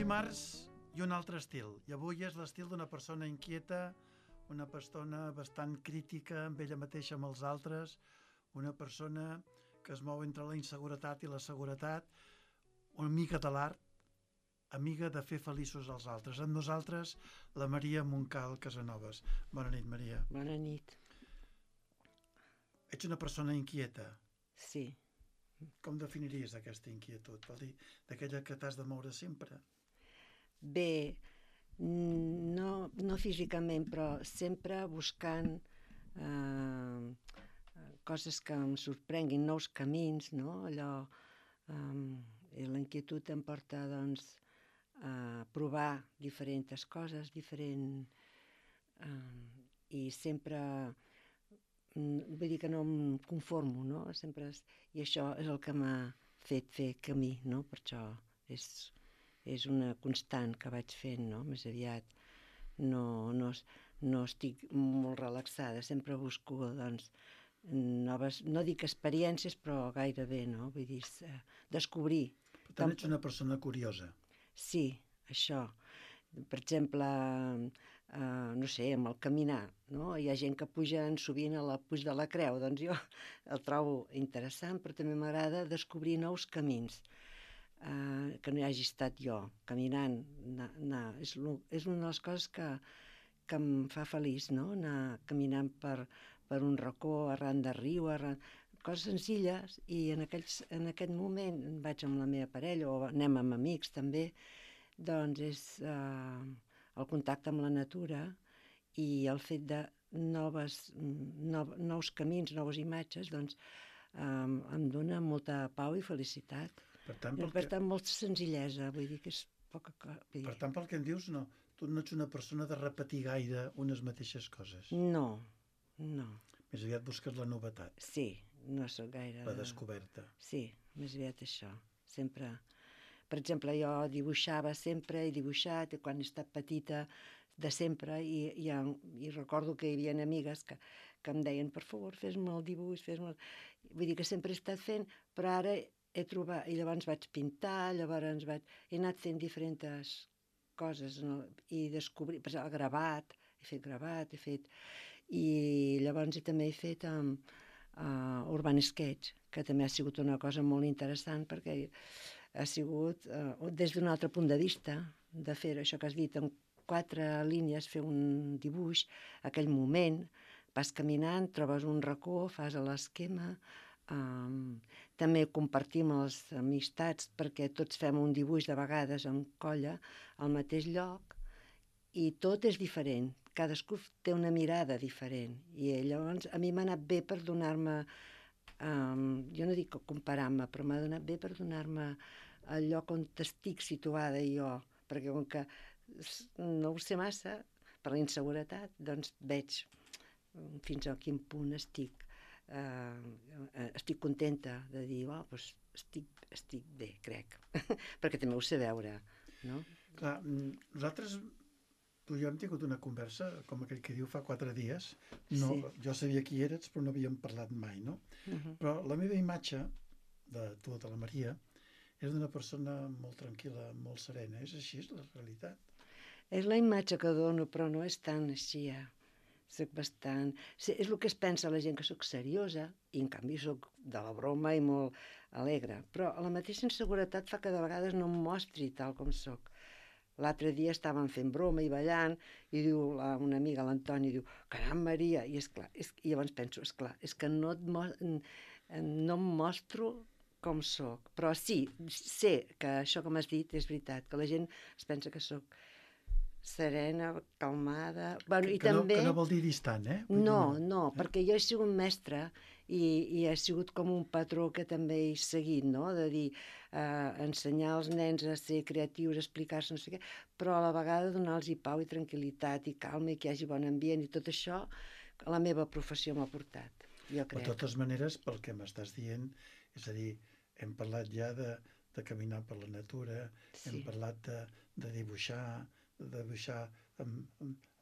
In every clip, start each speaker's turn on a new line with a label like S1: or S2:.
S1: dimarts i un altre estil. I avui és l'estil d'una persona inquieta, una persona bastant crítica amb ella mateixa, amb els altres, una persona que es mou entre la inseguretat i la seguretat, una amiga de l'art, amiga de fer feliços als altres. Amb nosaltres, la Maria Montcal Casanovas. Bona nit, Maria.
S2: Bona nit.
S1: Ets una persona inquieta.
S2: Sí.
S1: Com definiries aquesta inquietud? Vol dir, d'aquella que t'has de moure sempre?
S2: Bé, no físicament, però sempre buscant coses que em sorprenguin, nous camins, no? Allò, i la inquietud em porta, doncs, a provar diferents coses, i sempre, vull dir que no em conformo, no? I això és el que m'ha fet fer camí, no? Per això és una constant que vaig fent, no? Més aviat no estic molt relaxada, sempre busco, doncs, noves, no dic experiències, però gairebé, no? Vull dir, descobrir.
S1: Per tant, ets una persona curiosa.
S2: Sí, això. Per exemple, no sé, amb el caminar, no? Hi ha gent que pugen sovint a la Puig de la Creu, doncs jo el trobo interessant, però també m'agrada descobrir nous camins que no hi hagi estat jo, caminant, anar. És una de les coses que em fa feliç, no? Anar caminant per un racó, arran de riu, coses senzilles, i en aquest moment vaig amb la meva parella, o anem amb amics també, doncs és el contacte amb la natura i el fet de nous camins, noves imatges, doncs em dona molta pau i felicitat.
S1: Per tant,
S2: molta senzillesa, vull dir que és poca cosa.
S1: Per tant, pel que em dius, no, tu no ets una persona de repetir gaire unes mateixes coses.
S2: No.
S1: Més aviat busques la novetat.
S2: Sí, no sóc gaire...
S1: La descoberta.
S2: Sí, més aviat això. Sempre... Per exemple, jo dibuixava sempre, he dibuixat, quan he estat petita, de sempre, i recordo que hi havia amigues que em deien, per favor, fes-me el dibuix, Vull dir que sempre he estat fent, però ara he trobat... I llavors vaig pintar, he anat fent diferents coses, no? I descobrir... Per exemple, gravat, I llavors també he fet Urban Sketch, que també ha sigut una cosa molt interessant, perquè ha sigut, des d'un altre punt de vista, de fer això que has dit, en 4 línies, fer un dibuix, aquell moment, vas caminant, trobes un racó, fas l'esquema, també compartim les amistats, perquè tots fem un dibuix de vegades en colla, al mateix lloc, i tot és diferent, cadascú té una mirada diferent, i llavors a mi m'ha anat bé per donar-me, jo no dic comparar-me, però m'ha donat bé per donar-me el lloc on estic situada jo, perquè com que no ho sé massa, per la inseguretat, doncs veig fins a quin punt estic contenta de dir, doncs estic bé, crec, perquè també ho sé veure, no?
S1: Clar, nosaltres, tu i jo hem tingut una conversa, com aquell que diu, fa 4 dies. No, sí. Jo sabia qui eres, però no havíem parlat mai, no? Però la meva imatge de tu, de la Maria, és d'una persona molt tranquil·la, molt serena. És així, és la realitat.
S2: És la imatge que dono, però no és tan així, Soc bastant... És el que es pensa la gent, que soc seriosa, i en canvi soc de la broma i molt alegre. Però la mateixa inseguretat fa que de vegades no em mostri tal com soc. L'altre dia estàvem fent broma i ballant, i diu una amiga, l'Antoni, diu, caram, Maria, i esclar, i llavors penso, esclar, és que no em mostro com soc, però sí, sé que això que m'has dit és veritat, que la gent es pensa que soc serena, calmada... Bueno,
S1: que no vol dir distant, eh?
S2: No, perquè jo he sigut mestra i he sigut com un patró que també he seguit, no? De dir, ensenyar als nens a ser creatius, a explicar-se, no sé què, però a la vegada donar-los pau i tranquil·litat i calma i que hi hagi bon ambient, i tot això la meva professió m'ha portat, jo crec.
S1: De totes maneres, pel que m'estàs dient, és a dir, hem parlat ja de caminar per la natura, sí. Hem parlat de dibuixar en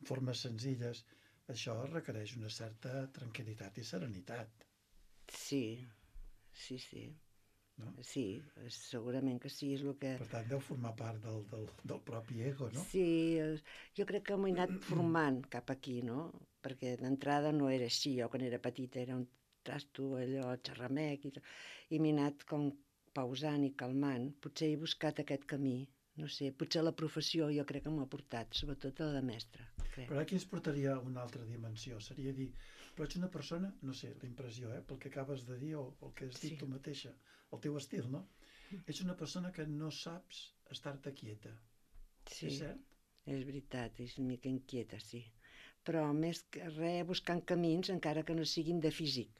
S1: formes senzilles. Això requereix una certa tranquil·litat i serenitat.
S2: Sí.
S1: no?
S2: Sí, segurament que sí, és el que...
S1: Per tant, deu formar part del propi ego, no?
S2: Sí, jo crec que m'ho he anat formant cap aquí, no? Perquè d'entrada no era així, jo quan era petita era un trasto allò xerramec i m'he anat com pausant i calmant. Potser he buscat aquest camí, no sé, potser la professió jo crec que m'ho ha portat, sobretot la de mestra, crec.
S1: Però aquí ens portaria a una altra dimensió, seria dir, però ets una persona, no sé, la impressió, pel que acabes de dir o el que has dit tu mateixa, el teu estil, no? Ets una persona que no saps estar-te quieta.
S2: Sí,
S1: és cert?
S2: és veritat, és una mica inquieta, sí. Però més que res buscant camins, encara que no siguin de físic.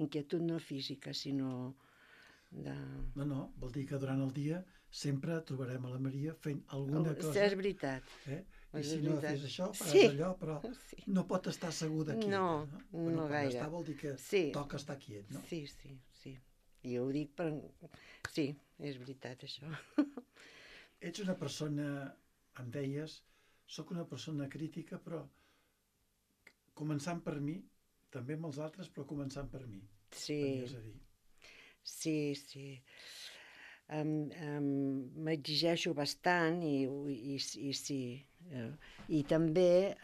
S2: Inquietud no física, sinó de...
S1: No, vol dir que durant el dia sempre trobarem a la Maria fent alguna
S2: Sí,
S1: cosa.
S2: és veritat.
S1: I si no fes això, faràs
S2: Sí.
S1: allò, però
S2: Sí.
S1: no pot estar segura quieta.
S2: No,
S1: Bueno,
S2: no
S1: quan
S2: gaire.
S1: està vol dir que
S2: Sí.
S1: toca estar quiet, no?
S2: Sí. I ho dic per... Sí, és veritat, això.
S1: Ets una persona, em deies, sóc una persona crítica, però començant per mi, també amb els altres, però començant per mi.
S2: Sí.
S1: Venies a dir.
S2: Sí. M'exigeixo bastant i sí. I també,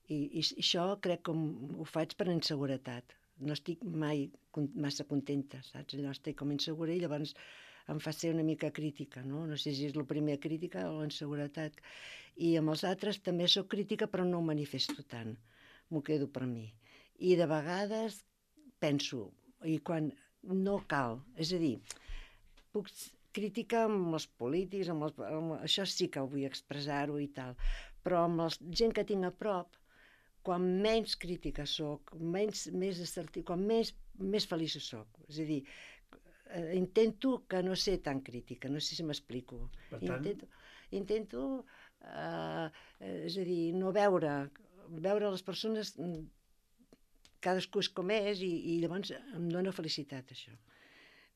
S2: i això crec que ho faig per inseguretat. No estic mai massa contenta, saps? Allò estic com insegura i llavors em fa ser una mica crítica, no? No sé si és la primera crítica o la inseguretat. I amb els altres també sóc crítica però no ho manifesto tant. M'ho quedo per mi. I de vegades penso, i quan no cal, és a dir, puc criticar amb els polítics, això sí que vull expressar-ho i tal, però amb la gent que tinc a prop, quan menys crítica soc, més assertiu, quan més feliç soc. És a dir, intento que no ser tan crítica, no sé si m'explico.
S1: Per tant...
S2: Intento és a dir, no veure les persones, cadascú és com és, i llavors em dóna felicitat, això.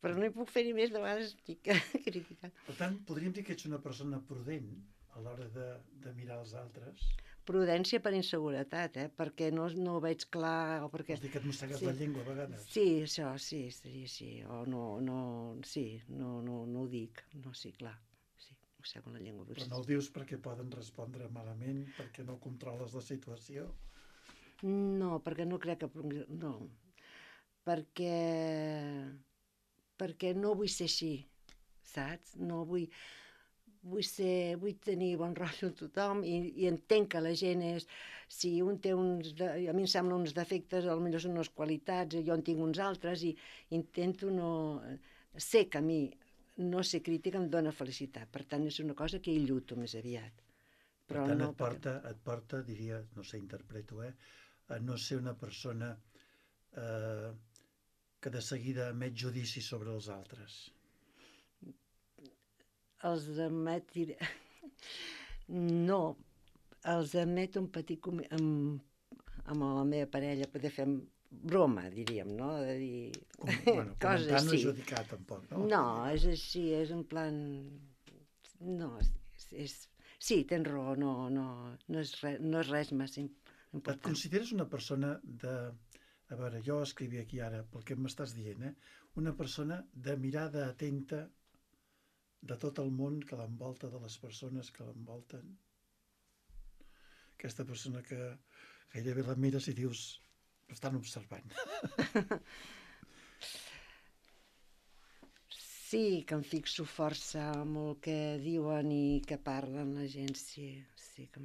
S2: Però no hi puc fer ni més, de vegades estic criticant.
S1: Per tant, podríem dir que ets una persona prudent a l'hora de mirar els altres.
S2: Prudència per inseguretat, perquè no ho veig clar, o perquè...
S1: Vols dir que et mossegues la llengua a vegades?
S2: Sí, això, sí, seria així. O no ho dic. No, sí, clar. Sí, mossego la llengua.
S1: Però no ho dius perquè poden respondre malament, perquè no controles la situació?
S2: No, perquè no crec que... No, perquè no vull ser així, saps? No vull tenir bon rotllo amb tothom i entenc que la gent és... Si un té a mi em sembla uns defectes, potser són unes qualitats, jo en tinc uns altres i intento no... Sé que a mi no ser crítica em dóna felicitat, per tant és una cosa que hi lluito més aviat.
S1: Per tant, et porta, diria, no sé, interpreto, a no ser una persona que de seguida emet judici sobre els altres.
S2: Els emet... No, els emet un petit... amb la meva parella, poder fer broma, diríem, no? De dir...
S1: Bueno, comentar no és judicar, tampoc, no?
S2: No, és així, és en plan... No, sí, tens raó, no és res massa important.
S1: Et consideres una persona de... A veure, jo escrivia aquí ara, pel que m'estàs dient, una persona de mirada atenta de tot el món que l'envolta, de les persones que l'envolten. Aquesta persona que gairebé la mires i dius, estan observant.
S2: Sí, que em fixo força amb el que diuen i que parlen la gent, sí que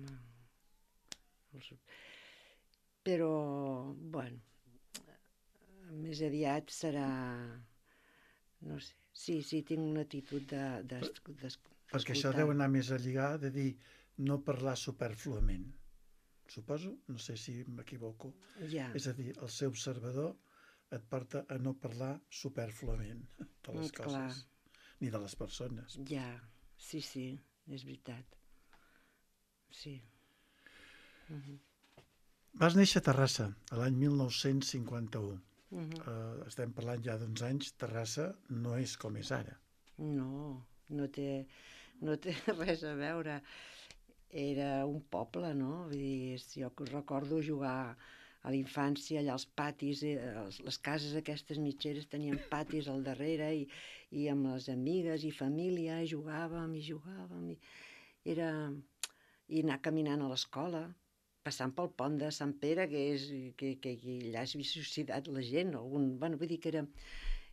S2: però, bueno, més aviat serà, no sé, sí, tinc una actitud d'escoltar.
S1: Perquè això deu anar més a lligar de dir no parlar superfluament. Suposo, no sé si m'equivoco.
S2: Ja.
S1: És a dir, el ser observador et porta a no parlar superfluament de les coses, ni de les persones.
S2: Ja, sí, és veritat. Sí.
S1: Vas néixer a Terrassa, l'any 1951. Estem parlant ja d'uns anys. Terrassa no és com és ara.
S2: No té res a veure. Era un poble, no? Vull dir, jo recordo jugar a la infància, allà als patis, les cases aquestes mitgeres tenien patis al darrere i amb les amigues i família jugàvem, i anar caminant a l'escola, passant pel pont de Sant Pere, que allà és societat la gent, vull dir que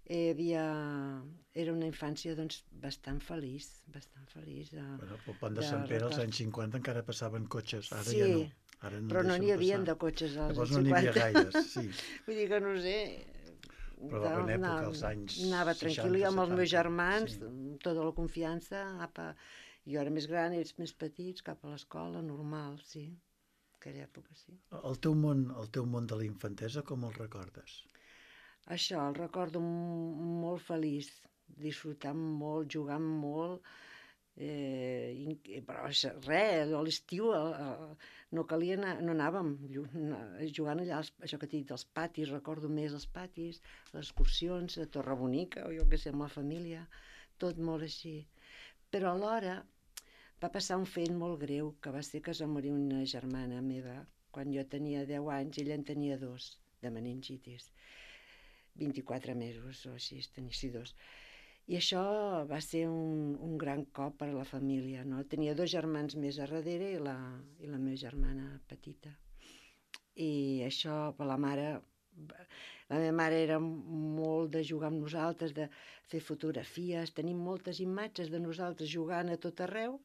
S2: era una infància doncs, bastant feliç.
S1: Bueno, pel pont de Sant Pere als anys 50 encara passaven cotxes, ara
S2: sí,
S1: ja no. Ara no
S2: però no n'hi havia
S1: passar.
S2: de cotxes als
S1: Llavors
S2: 50.
S1: no n'hi havia gaires, sí.
S2: Vull dir que no sé...
S1: Però en època, als anys 60,
S2: anava tranquil·la, i amb els meus
S1: 70,
S2: germans,
S1: sí.
S2: amb tota la confiança, jo era més gran, ells més petits, cap a l'escola, normal, sí. Aquella època, sí.
S1: El teu món de la infantesa, com el recordes?
S2: Això, el recordo molt feliç, disfrutant molt, jugant molt, però res, a l'estiu no calia anar, no anàvem jugant allà, això que t'he dit, als patis, recordo més els patis, les excursions a Torrebonica, o jo què sé, amb la família, tot molt així. Però alhora va passar un fet molt greu, que va ser que es va morir una germana meva, quan jo tenia 10 anys, ella en tenia 2, de meningitis, 24 mesos o així, tenia 2. I això va ser un gran cop per a la família, no? Tenia 2 germans més a darrere i la meva germana petita. I això per la meva mare era molt de jugar amb nosaltres, de fer fotografies, tenim moltes imatges de nosaltres jugant a tot arreu,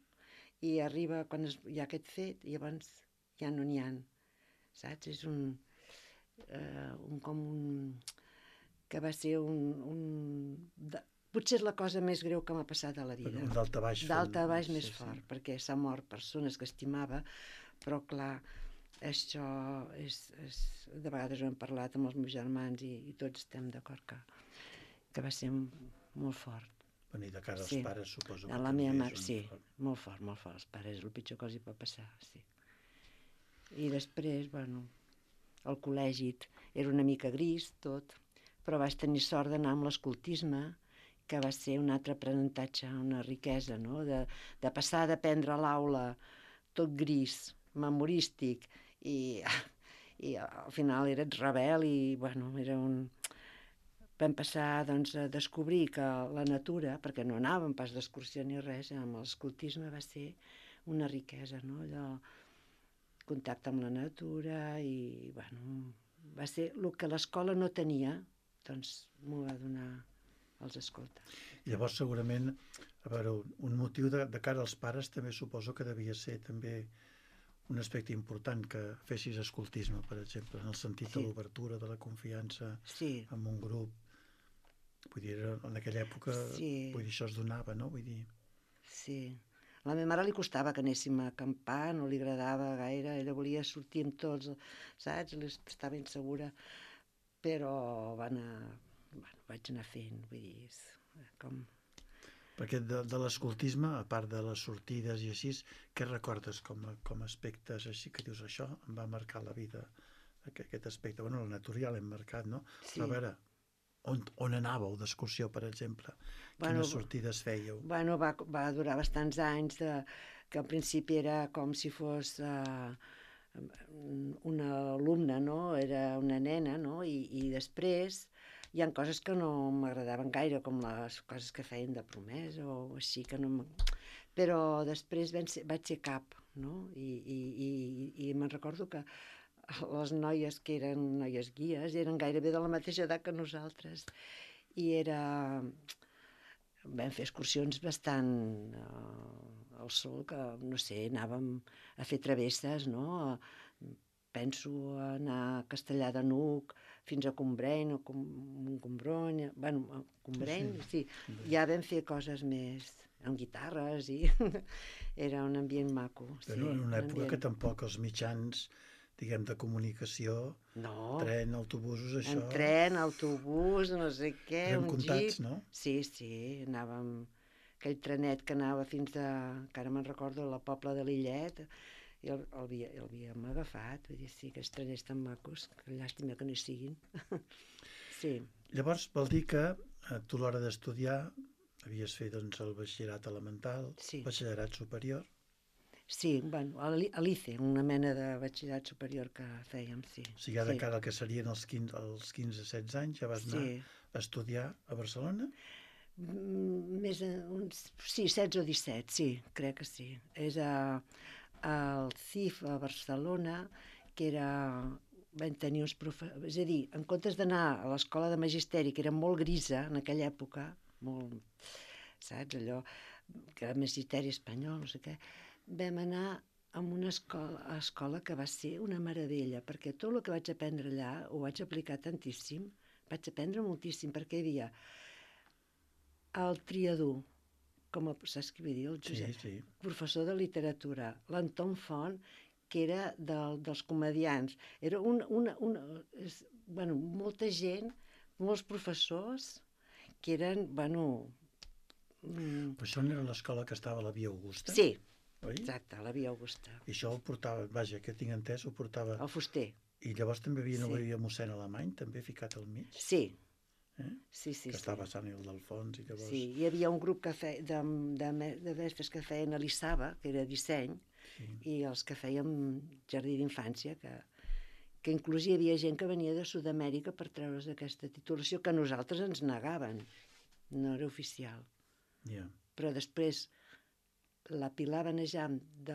S2: i arriba quan hi ha aquest fet i llavors ja no n'hi ha, saps? És que va ser potser és la cosa més greu que m'ha passat a la vida.
S1: Un daltabaix.
S2: Daltabaix més fort, perquè s'ha mort persones que estimava, però clar, això de vegades ho hem parlat amb els meus germans i tots estem d'acord que va ser molt fort.
S1: I de cara als pares, suposo.
S2: A la meva mare, sí, molt fort. Els pares és el pitjor que els hi pot passar, sí. I després, el col·legi era una mica gris, tot, però vaig tenir sort d'anar amb l'escoltisme, que va ser un altre aprenentatge, una riquesa, no? De passar d'aprendre a l'aula tot gris, memorístic, i al final eres rebel i, era vam passar doncs, a descobrir que la natura, perquè no anàvem pas d'excursió ni res, amb l'escoltisme va ser una riquesa, no? Allò, contacte amb la natura i, va ser el que l'escola no tenia, doncs m'ho va donar els escoltes.
S1: Llavors, segurament, un motiu de cara als pares també suposo que devia ser també un aspecte important que fessis escoltisme, per exemple, en el sentit de l'obertura, de la confiança en un grup. Vull dir, en aquella època, això es donava, no? Vull dir...
S2: Sí. A la meva mare li costava que anéssim a acampar, no li agradava gaire, ella volia sortir amb tots, saps? Estava insegura, però vaig anar fent, vull dir, com...
S1: Perquè de l'escoltisme, a part de les sortides i així, què recordes com aspectes així que dius això em va marcar la vida, aquest aspecte? La natura ja l'hem marcat, no?
S2: Sí.
S1: Però a veure, on anàveu d'excursió, per exemple? Quines sortides fèieu?
S2: Va durar bastants anys, que al principi era com si fos una alumna, no? Era una nena, no? I després hi ha coses que no m'agradaven gaire, com les coses que feien de promesa o així, que no però després vaig ser cap, no? I me'n recordo que les noies que eren noies guies eren gairebé de la mateixa edat que nosaltres i vam fer excursions bastant al sol, que no sé, anàvem a fer travesses, no? Penso anar a Castellar de n'Hug fins a Combreny o Combrony, Combreny, sí. Ja vam fer coses més amb guitarres i era un ambient maco.
S1: Però en una època que tampoc els mitjans, diguem, de comunicació, tren, autobusos, això...
S2: En tren, autobús, no sé què,
S1: un jeep... no?
S2: Sí, anàvem... Aquell trenet que anava fins a... encara me'n recordo, a la Pobla de Lillet, i el havíem agafat, vull dir, sí, aquests treners tan macos, que llàstima que no hi siguin. Sí.
S1: Llavors, vol dir que tu a l'hora d'estudiar havies fet doncs, el batxillerat elemental, batxillerat superior...
S2: Sí, bueno, a l'ICE, una mena de batxillerat superior que fèiem, sí.
S1: O sigui, ara
S2: Sí.
S1: que ara que serien els 15-16 anys, ja vas anar
S2: Sí.
S1: a estudiar a Barcelona?
S2: Sí, 16 o 17, sí, crec que sí. És al CIF a Barcelona, que era... Vam tenir uns professors... És a dir, en comptes d'anar a l'escola de magisteri, que era molt grisa en aquella època, molt, saps, allò, que era magisteri espanyol, no sé què, vam anar a una escola que va ser una meravella, perquè tot el que vaig aprendre allà ho vaig aplicar tantíssim, vaig aprendre moltíssim, perquè hi havia el Triadú, saps què vull dir? El Josep,
S1: Sí.
S2: professor de literatura, l'Anton Font, que era dels comedians. Era molta gent, molts professors, que eren,
S1: Però això no era l'escola que estava a la Via Augusta?
S2: sí,
S1: Oi?
S2: exacte, a la Via Augusta.
S1: I això ho portava, vaja, que tinc entès, ho portava...
S2: El fuster.
S1: I llavors també
S2: Sí.
S1: havia mossèn Alemany, també ficat al mig?
S2: Sí,
S1: Eh?
S2: sí.
S1: Que estava a Sant Ildefons i llavors...
S2: Sí, hi havia un grup que de mestres que feien a l'Issaba, que era disseny,
S1: Sí.
S2: i els que fèiem jardí d'infància, que inclús hi havia gent que venia de Sud-amèrica per treure's aquesta titulació, que a nosaltres ens negaven, no era oficial.
S1: Yeah.
S2: Però després la Pilar Benejam de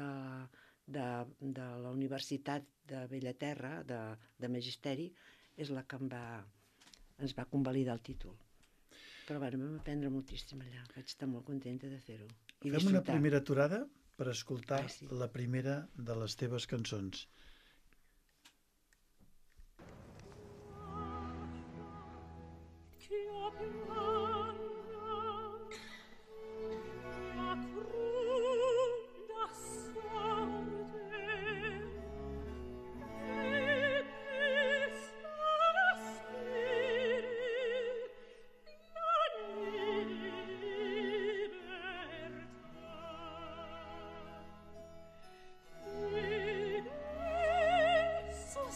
S2: la Universitat de Bellaterra, de Magisteri, és la que ens va convalidar el títol. Però vam aprendre moltíssim allà, vaig estar molt contenta de fer-ho.
S1: Fem una primera aturada per escoltar
S2: sí.
S1: la primera de les teves cançons.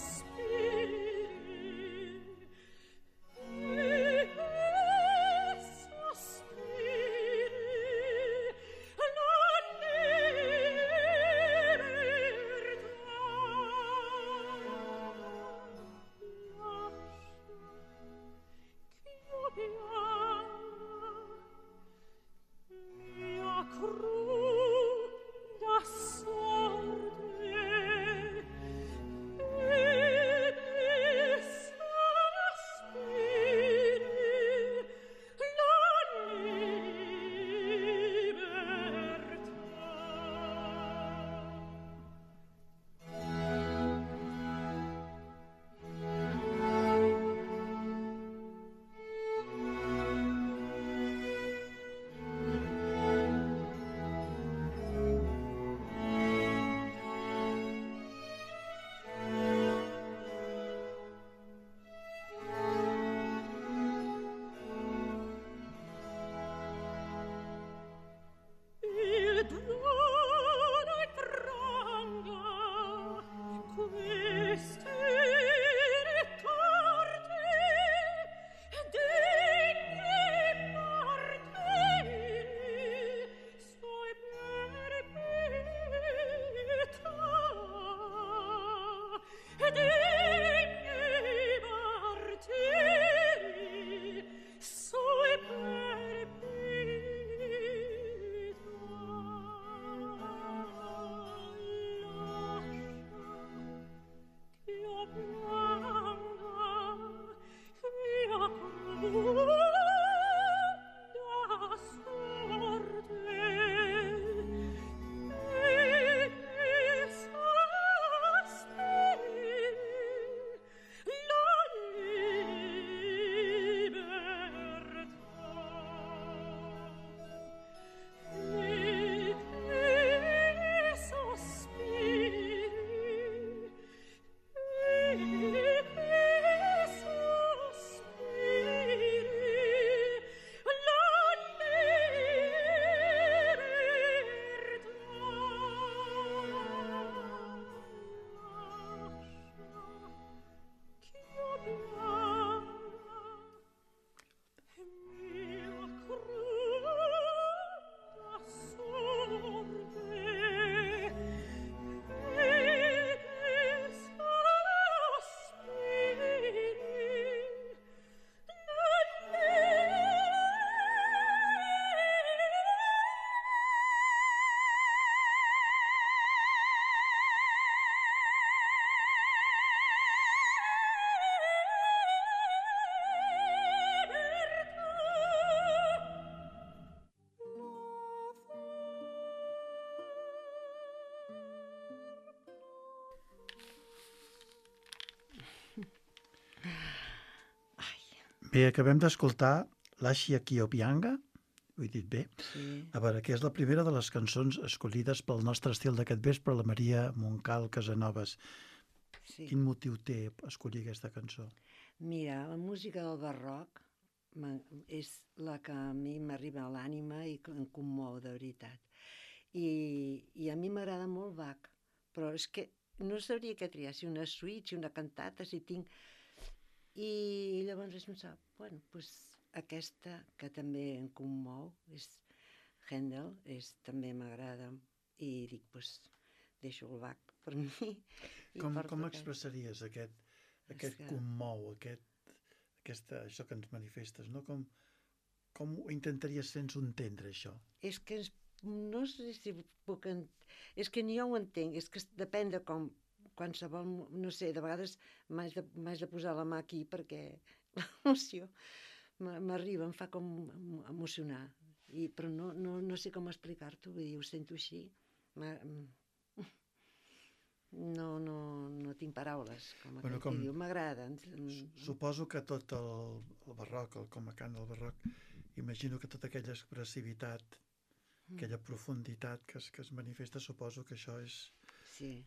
S3: Sospiri
S1: Bé, acabem d'escoltar l'Axia Kiopianga, ho he dit bé.
S2: Sí.
S1: A veure, que és la primera de les cançons escollides pel nostre estil d'aquest vespre, la Maria Montcal Casanovas.
S2: Sí.
S1: Quin motiu té escollir aquesta cançó?
S2: Mira, la música del barroc és la que a mi m'arriba a l'ànima i em commou, de veritat. I a mi m'agrada molt Bach, però és que no sabria què triar, si una suite, si una cantata, si tinc... I llavors vaig pensar, bueno, doncs aquesta, que també em commou, és Händel, també m'agrada, i dic, doncs deixo el Bach per mi.
S1: Com expressaries aquest commou, això que ens manifestes, no? Com ho intentaries fer-nos entendre, això?
S2: És que no sé si puc... És que ni jo ho entenc, és que depèn de com qualsevol... No sé, de vegades m'haig de posar la mà aquí perquè l'emoció m'arriba, em fa com emocionar. Però no sé com explicar-t'ho, vull dir, ho sento així. No tinc paraules, com diu, m'agrada.
S1: Suposo que tot el barroc, com a cant del barroc, imagino que tota aquella expressivitat, aquella profunditat que es manifesta, suposo que això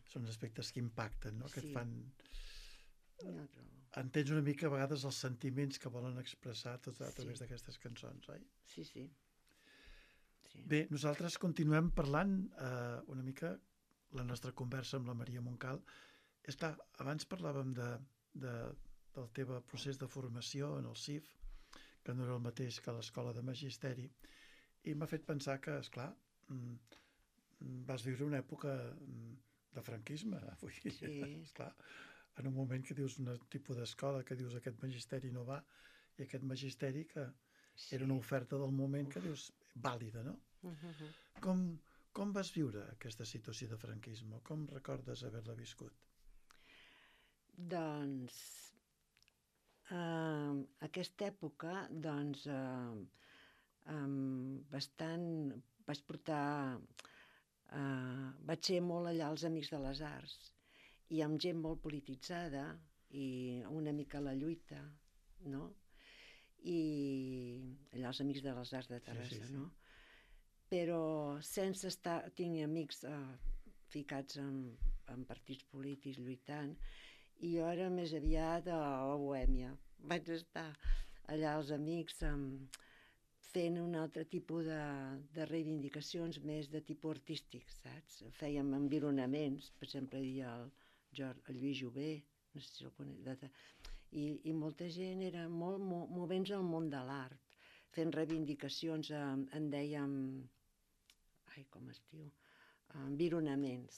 S1: són aspectes que impacten, no? Que et fan... Entens una mica a vegades els sentiments que volen expressar a través d'aquestes cançons, oi?
S2: Sí.
S1: Bé, nosaltres continuem parlant una mica la nostra conversa amb la Maria Montcal. És clar, abans parlàvem del teu procés de formació en el CIF, que no era el mateix que a l'Escola de Magisteri, i m'ha fet pensar que, esclar, vas viure una època de franquisme, vull dir, esclar, en un moment que dius un tipus d'escola, que dius aquest magisteri no va, i aquest magisteri que era una oferta del moment que dius vàlida, no? Com vas viure aquesta situació de franquisme? Com recordes haver-la viscut?
S2: Doncs, aquesta època, doncs, bastant, vaig portar, vaig ser molt allà als Amics de les Arts, i amb gent molt polititzada, i una mica a la lluita, no? I allà als Amics de les Arts de Terrassa, no? Però sense estar... Tinc amics ficats en partits polítics lluitant, i jo era més aviat a la bohèmia. Vaig estar allà als amics fent un altre tipus de reivindicacions més de tipus artístic, saps? Fèiem environaments, per exemple, hi havia el Lluís Jové, no sé si el conec, i molta gent era molt movents al món de l'art, fent reivindicacions, en dèiem... Ai, com es diu? Environaments.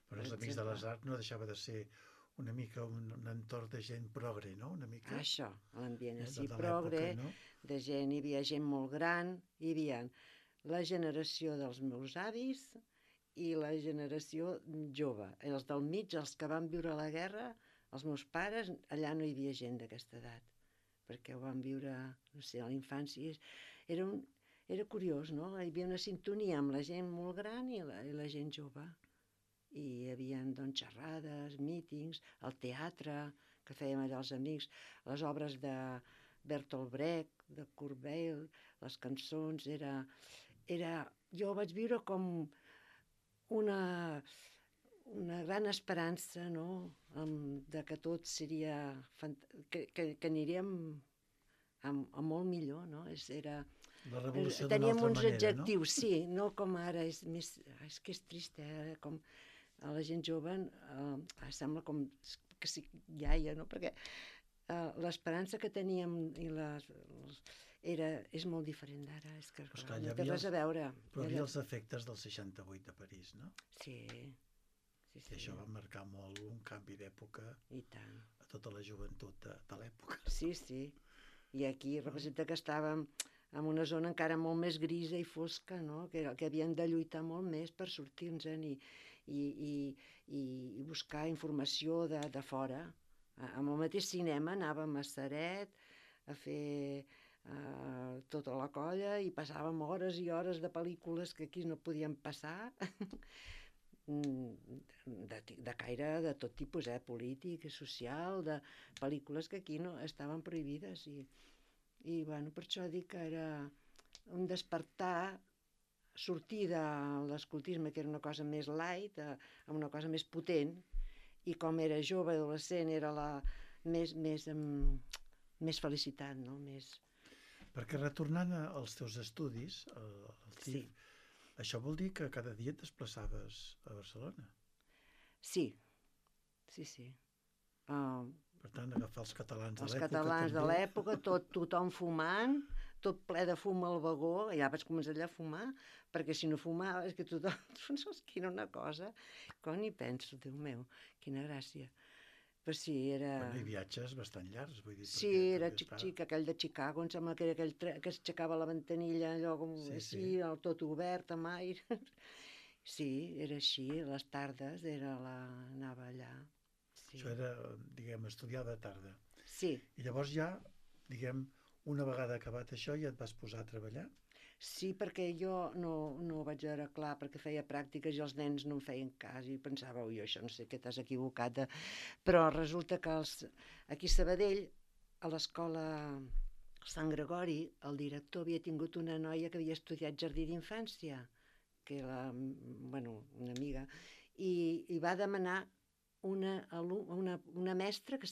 S1: Però els Amics de les Arts no deixava de ser una mica un entorn de gent progre, no? Una mica...
S2: Això, l'ambient així progre, de gent, hi havia gent molt gran, hi havia la generació dels meus avis i la generació jove. Els del mig, els que van viure la guerra, els meus pares, allà no hi havia gent d'aquesta edat, perquè ho van viure, no sé, a la infància. Era curiós, no? Hi havia una sintonia amb la gent molt gran i la gent jove. I hi havia, doncs, xerrades, mítings, el teatre, que fèiem allà els amics, les obres de Bertolt Brecht, de Kurt Weill, les cançons, jo ho vaig viure com una gran esperança, no?, de que tot seria... que aniríem a molt millor, no?
S1: La revolució d'una altra manera, no?
S2: Teníem uns adjectius, sí, no com ara, és que és trist, com a la gent jove sembla com que sí, iaia, no? Perquè l'esperança que teníem és molt diferent d'ara, és que no té res a veure.
S1: Però hi havia els efectes del 68 de París, no?
S2: Sí.
S1: I això va marcar molt un canvi d'època a tota la joventut de l'època.
S2: Sí. I aquí representa que estàvem en una zona encara molt més grisa i fosca, no? Que havien de lluitar molt més per sortir-nos-en i buscar informació de fora. Amb el mateix cinema anàvem a Ceret a fer tota la colla i passàvem hores i hores de pel·lícules que aquí no podien passar, de caire de tot tipus, polític, social, de pel·lícules que aquí no estaven prohibides, I, bueno, per això dic que era un despertar, sortir de l'escoltisme, que era una cosa més light, a una cosa més potent, i com era jove, adolescent, era la més felicitat, no? Més...
S1: Perquè retornant als teus estudis, al
S2: Sí,
S1: TIF, això vol dir que cada dia et desplaçaves a Barcelona.
S2: sí, sí, sí. Uh,
S1: Per tant, agafar els catalans de
S2: els
S1: l'època
S2: catalans de
S1: també.
S2: l'època, tothom fumant, tot ple de fum al vagó, ja vaig començar allà a fumar, perquè si no fumava, és que tothom, doncs, quina una cosa, com ni penso, Déu meu, quina gràcia. Però sí, era...
S1: Bueno, i viatges bastant llargs, vull dir,
S2: Sí,
S1: perquè
S2: era
S1: també està...
S2: xic-xic, aquell de Chicago, em sembla que era aquell que s'aixecava la ventanilla, allò com
S1: Sí,
S2: així,
S1: sí.
S2: tot obert, amb aire. Sí, era així, les tardes anava allà. Sí,
S1: Això era, diguem, estudiar de tarda.
S2: sí,
S1: I llavors ja, diguem, una vegada acabat això ja et vas posar a treballar?
S2: sí, perquè jo no ho vaig veure clar, perquè feia pràctiques i els nens no em feien cas i pensava, ui, això no sé què t'has equivocat. Però resulta que aquí a Sabadell, a l'escola Sant Gregori, el director havia tingut una noia que havia estudiat jardí d'infància, que era, bueno, una amiga, i va demanar una mestra que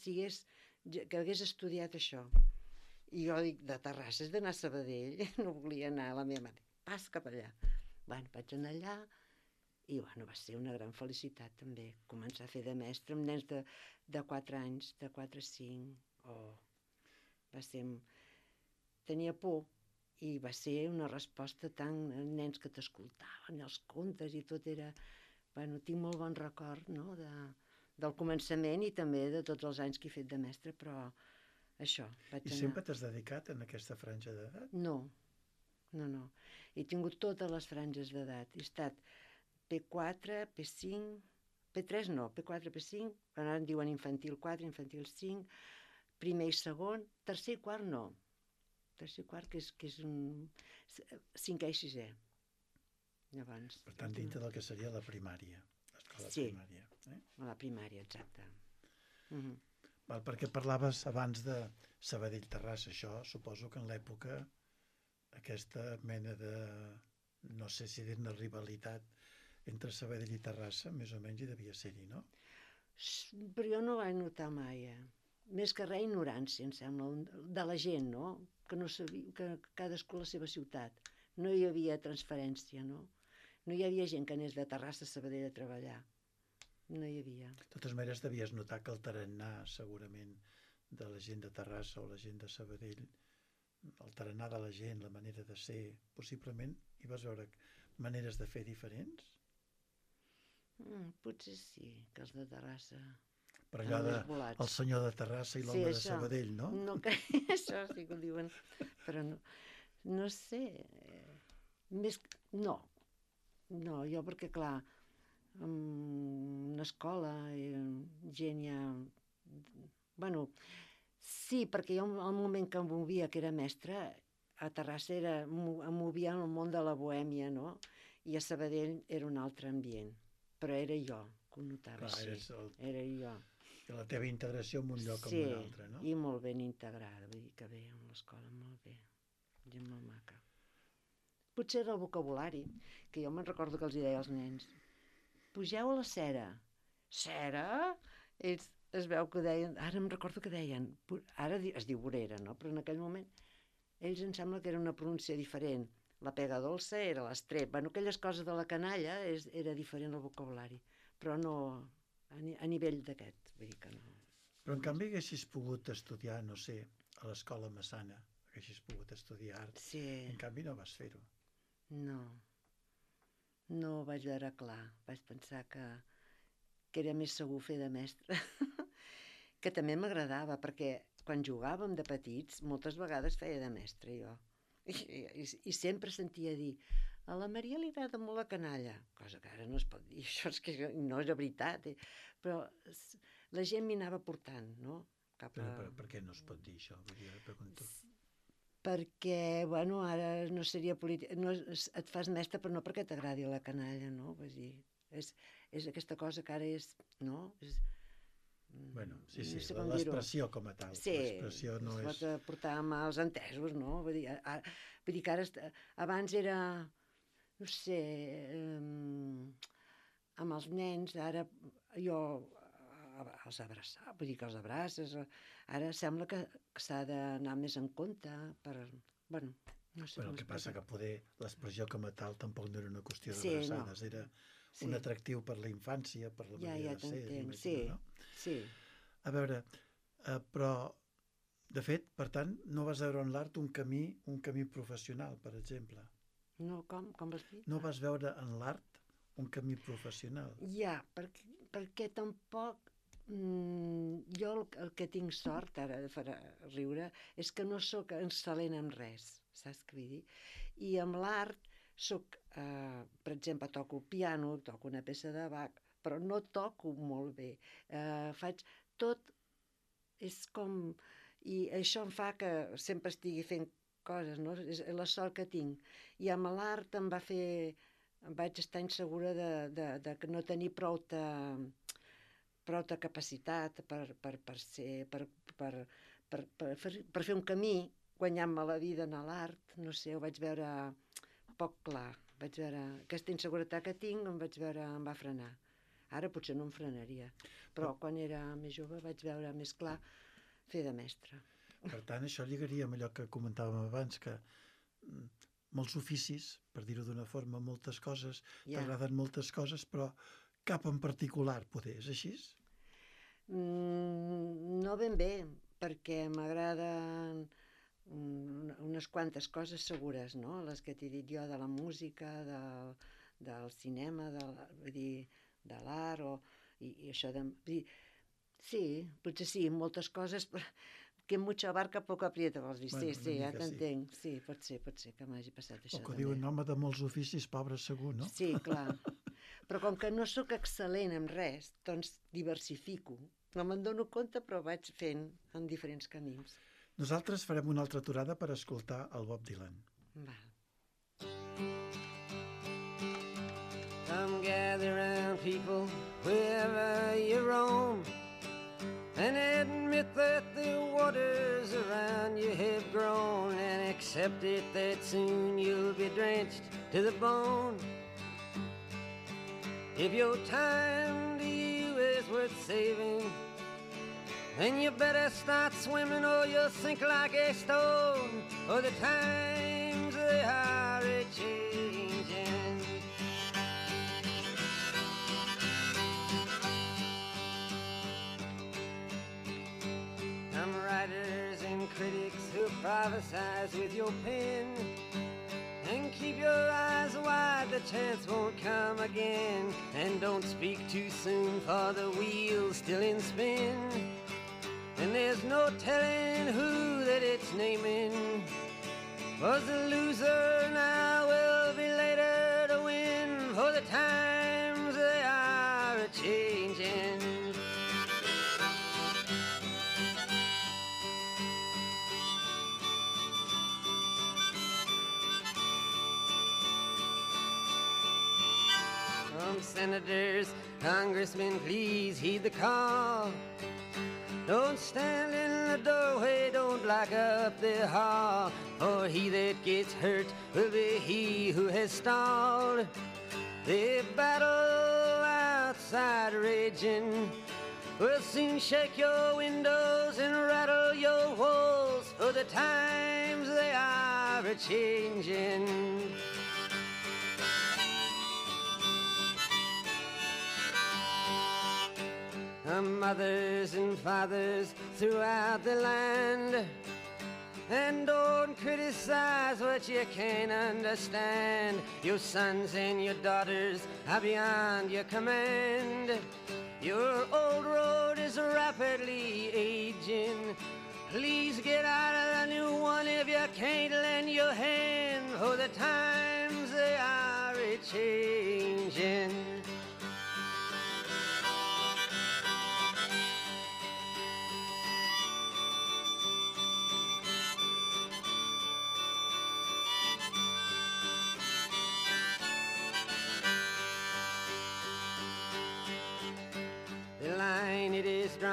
S2: hagués estudiat això. I jo dic, de Terrassa és d'anar a Sabadell, no volia anar a la meva mare. Pas cap allà. Bueno, vaig anar allà i bueno, va ser una gran felicitat també, començar a fer de mestre amb nens de 4 anys, de 4 a 5. Va ser... Tenia por i va ser una resposta tan... nens que t'escoltaven, els contes i tot era... Bueno, tinc molt bon record, no?, del començament i també de tots els anys que he fet de mestre, però això, vaig
S1: I
S2: anar...
S1: sempre t'has dedicat en aquesta franja d'edat?
S2: No, no. He tingut totes les franges d'edat. He estat P4, P5, P3 no, P4, P5, ara en diuen infantil 4, infantil 5, primer i segon, tercer i quart no. Tercer i quart, que és un... cinquè i sisè. Llavors...
S1: Per tant, dintre del que seria la primària, l'escola
S2: Sí,
S1: primària.
S2: a la primària, exacte.
S1: Val, perquè parlaves abans de Sabadell-Terrassa, això suposo que en l'època aquesta mena de, no sé si dir-ne rivalitat entre Sabadell i Terrassa, més o menys hi devia ser-hi, no?
S2: Però jo no vaig notar mai, Més que res ignorància, em sembla, de la gent, no? Que no sabia, que cadascú a la seva ciutat. No hi havia transferència, no? No hi havia gent que anés de Terrassa a Sabadell a treballar. No hi havia.
S1: De totes maneres, devies notar que el tarannà, segurament, de la gent de Terrassa o la gent de Sabadell, el tarannà de la gent, la manera de ser, possiblement hi vas veure maneres de fer diferents?
S2: Potser sí, que els de Terrassa...
S1: Per allò el senyor de Terrassa i l'home de Sabadell, no?
S2: No, això sí que ho diuen, però no sé, més... No, jo perquè clar, en una escola, gent ja... Bueno, sí, perquè jo al moment que em movia, que era mestra, a Terrassa em movia en el món de la bohèmia, no? I a Sabadell era un altre ambient, però era jo que ho notava així, era jo.
S1: La teva integració en un lloc o en un altre, no?
S2: Sí, i molt ben integrada, vull dir que bé, amb l'escola molt bé, gent molt maca. Potser era el vocabulari, que jo me'n recordo que els deia als nens, pugeu a la cera. Cera? Ells es veu que deien, ara em recordo que deien, ara es diu vorera, no? Però en aquell moment ells em sembla que era una pronúncia diferent. La pega dolça era l'estrep. Bueno, aquelles coses de la canalla era diferent el vocabulari, però no a nivell d'aquest, vull dir que no.
S1: Però en canvi haguessis pogut estudiar, no sé, a l'escola Massana, haguessis pogut estudiar art.
S2: Sí.
S1: En canvi no vas fer-ho.
S2: No ho vaig veure clar. Vaig pensar que era més segur fer de mestre. Que també m'agradava, perquè quan jugàvem de petits, moltes vegades feia de mestre jo. I sempre sentia dir, a la Maria li agrada molt la canalla, cosa que ara no es pot dir, això és que no és veritat, però la gent m'hi anava portant, no?
S1: Però per què no es pot dir això? Vull dir, ara pregunto.
S2: Perquè, bueno, ara no seria polític, no, et fas mestre però no perquè t'agradi la canalla, no? Vull dir, és aquesta cosa que ara és, no?
S1: Bueno, sí,
S2: no sé com dir-ho.
S1: l'expressió com a tal.
S2: Sí,
S1: L'expressió no
S2: es
S1: és...
S2: pot portar amb els entesos, no? Vull dir que ara, abans era, no sé, amb els nens, ara jo els abraçar, vull dir que els abraces, ara sembla que s'ha d'anar més en compte per, bueno, no sé
S1: Bueno,
S2: com
S1: el que passa
S2: explicar.
S1: que poder l'expressió com a tal tampoc no era una qüestió
S2: Sí,
S1: d'abraçades,
S2: no.
S1: era
S2: Sí.
S1: un atractiu per la infància, per la
S2: Ja
S1: manera de ser,
S2: t'entenc, sí,
S1: imagino, no?
S2: sí.
S1: A veure, però, de fet, per tant, no vas veure en l'art un camí professional, per exemple.
S2: No, com vas dir?
S1: No vas veure en l'art un camí professional.
S2: Ja, perquè tampoc jo el que tinc sort, ara farà riure, és que no sóc excel·lent en res, saps què vull dir? I amb l'art sóc, per exemple, toco piano, toco una peça de Bach, però no toco molt bé. Faig tot, és com... I això em fa que sempre estigui fent coses, no? És la sort que tinc. I amb l'art em vaig estar insegura de que no tenir prou de capacitat per fer un camí guanyant-me la vida en l'art, no sé, ho vaig veure poc clar. Vaig veure aquesta inseguretat que tinc, em va frenar. Ara potser no em frenaria, però quan era més jove vaig veure més clar fer de mestre.
S1: Per tant, això lligaria amb allò que comentàvem abans, que molts oficis, per dir-ho d'una forma, moltes coses, t'agraden moltes coses, però cap en particular, poder, és així?
S2: No ben bé, perquè m'agraden unes quantes coses segures, no? Les que t'he dit jo, de la música, del cinema, vull dir, de l'art, i això de... Vull dir, sí, potser sí, moltes coses, que mucha barca poco aprieta, vols dir?
S1: Bueno,
S2: Sí, ja t'entenc. Sí, pot ser que m'hagi passat això
S1: també. O que
S2: també.
S1: diuen home de molts oficis, pobre segur, no?
S2: Sí, clar. Però com que no sóc excel·lent en res, doncs diversifico. No me'n dono compte, però vaig fent en diferents camins.
S1: Nosaltres farem una altra aturada per escoltar el Bob Dylan.
S2: Val.
S3: Come gather round, people, wherever you roam, and admit that the waters around you have grown, and accept it that soon you'll be drenched to the bone. If your time to you is worth saving, then you better start swimming or you'll sink like a stone, for the times they are a-changing. Some writers and critics who prophesize with your pen, and keep your eyes wide, the chance won't come again. And don't speak too soon, for the wheel's still in spin, and there's no telling who that it's naming. Was the loser now will be later to win, for the times they are a-changing. Senators, congressmen, please heed the call. Don't stand in the doorway, don't block up the hall, for he that gets hurt will be he who has stalled. The battle outside raging will soon shake your windows and rattle your walls, for the times they are a-changing. Mothers and fathers throughout the land, and don't criticize what you can't understand. Your sons and your daughters are beyond your command. Your old road is rapidly aging. Please get out of the new one if you can't lend your hand, for the times they are a-changing.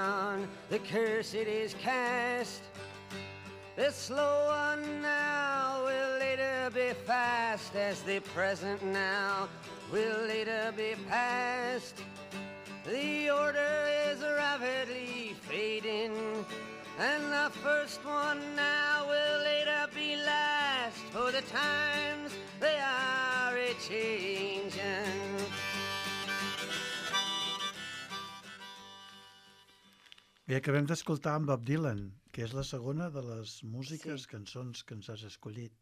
S3: down, the curse it is cast. The slow one now will later be fast, as the present now will later be past. The order is rapidly fading, and the first one now will later be last, for the times they are a-changing.
S1: Bé, acabem d'escoltar en Bob Dylan, que és la segona de les músiques, cançons que ens has escollit.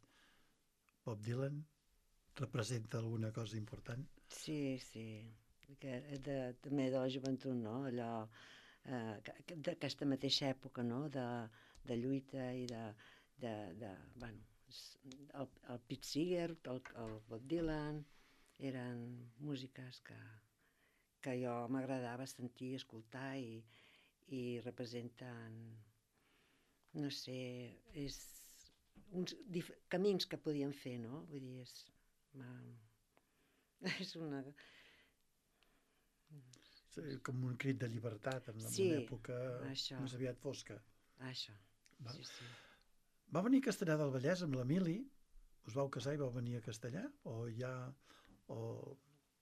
S1: Bob Dylan representa alguna cosa important?
S2: Sí, també de la joventut, no? Allò, d'aquesta mateixa època, no? De lluita i bueno, el Pete Seeger, el Bob Dylan, eren músiques que jo m'agradava sentir, escoltar i representen, no sé, és uns camins que podien fer, no? Vull dir, és una...
S1: Com un crit de llibertat en una època més aviat fosca.
S2: Això, sí.
S1: Va venir a Castellar del Vallès amb l'Emili, us vau casar i vau venir a Castellar?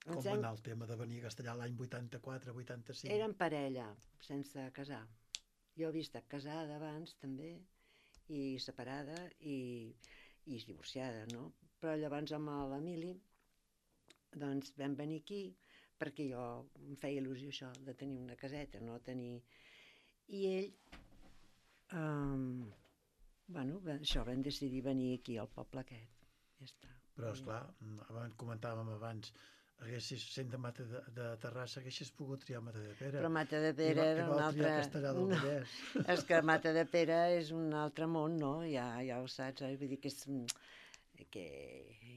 S1: Com va anar el tema de venir a Castellar l'any 84-85?
S2: Érem parella, sense casar. Jo havia estat casada abans també, i separada i divorciada, no? Però llavors amb l'Emili doncs vam venir aquí perquè jo em feia il·lusió això de tenir una caseta, no tenir... I ell, bueno, això, vam decidir venir aquí al poble aquest, ja està.
S1: Però, esclar, comentàvem abans, sent de Terrassa, haguessis pogut triar Matadepera.
S2: Però Matadepera era un altre...
S1: I vau triar Castellar del Vallès.
S2: És que Matadepera és un altre món, no? Ja ho saps, vull dir que és...